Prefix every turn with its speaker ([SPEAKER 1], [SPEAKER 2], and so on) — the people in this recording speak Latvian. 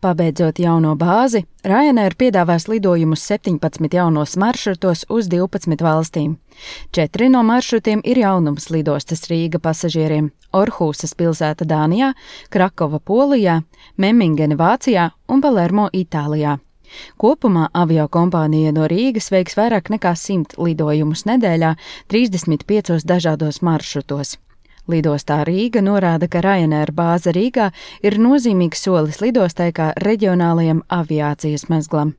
[SPEAKER 1] Pabeidzot jauno bāzi, Ryanair piedāvās lidojumus 17 jaunos maršrutos uz 12 valstīm. 4 no maršrutiem ir jaunums lidostas Rīga pasažieriem – Orhusas pilsēta Dānijā, Krakova Polijā, Memmingene Vācijā un Palermo Itālijā. Kopumā aviokompānija no Rīgas veiks vairāk nekā 100 lidojumus nedēļā 35 dažādos maršrutos. Lidostā Rīga norāda, ka Ryanair bāze Rīgā ir nozīmīgs solis lidostai kā reģionālajam aviācijas mezglam.